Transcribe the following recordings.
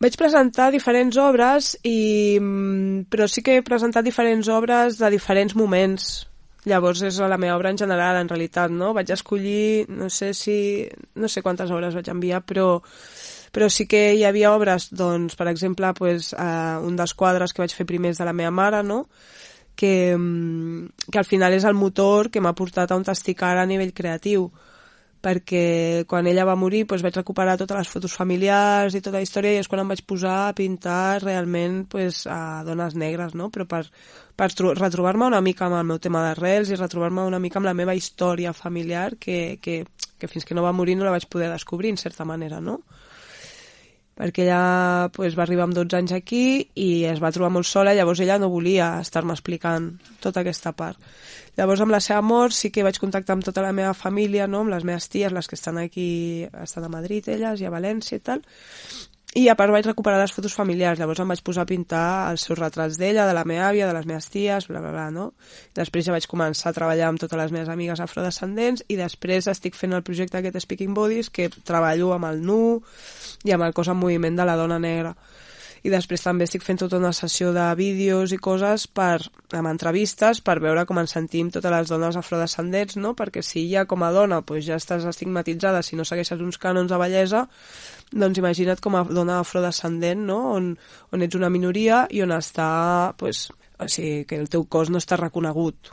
Vaig presentar diferents obres, però sí que he presentat diferents obres de diferents moments. Llavors és la meva obra en general, en realitat, no? Vaig escollir, no sé quantes obres vaig enviar, però sí que hi havia obres, doncs, per exemple, un dels quadres que vaig fer primers de la meva mare, no? Que al final és el motor que m'ha portat a on estic ara a nivell creatiu, perquè quan ella va morir vaig recuperar totes les fotos familiars i tota la història, i és quan em vaig posar a pintar realment a dones negres, no? Però per retrobar-me una mica amb el meu tema d'arrels i retrobar-me una mica amb la meva història familiar que fins que no va morir no la vaig poder descobrir, en certa manera, no? Perquè ella va arribar amb 12 anys aquí i es va trobar molt sola, llavors ella no volia estar-me explicant tota aquesta part. Llavors, amb la seva mort, sí que vaig contactar amb tota la meva família, no? Amb les meves ties, les que estan aquí, estan a Madrid, elles, i a València i tal, i a part vaig recuperar les fotos familiars. Llavors em vaig posar a pintar els seus retrats d'ella, de la meva àvia, de les meves ties, bla, bla, bla, no? Després ja vaig començar a treballar amb totes les meves amigues afrodescendents, i després estic fent el projecte aquest Speaking Bodies, que treballo amb el nu i amb el cos en moviment de la dona negra. I després també estic fent tota una sessió de vídeos i coses amb entrevistes per veure com ens sentim totes les dones afrodescendents, no? Perquè si ja com a dona ja estàs estigmatitzada si no segueixes uns cànons de bellesa, doncs imagina't com a dona afrodescendent, no? On ets una minoria i on està, o sigui, que el teu cos no està reconegut.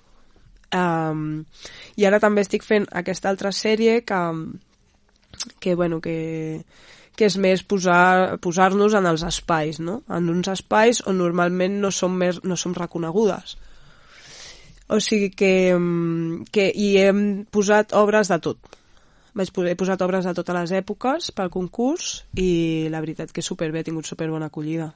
I ara també estic fent aquesta altra sèrie que és més posar-nos en els espais, no? En uns espais on normalment no som reconegudes. O sigui que hi hem posat obres de tot. He posat obres de totes les èpoques pel concurs i la veritat que superbé, he tingut superbona acollida.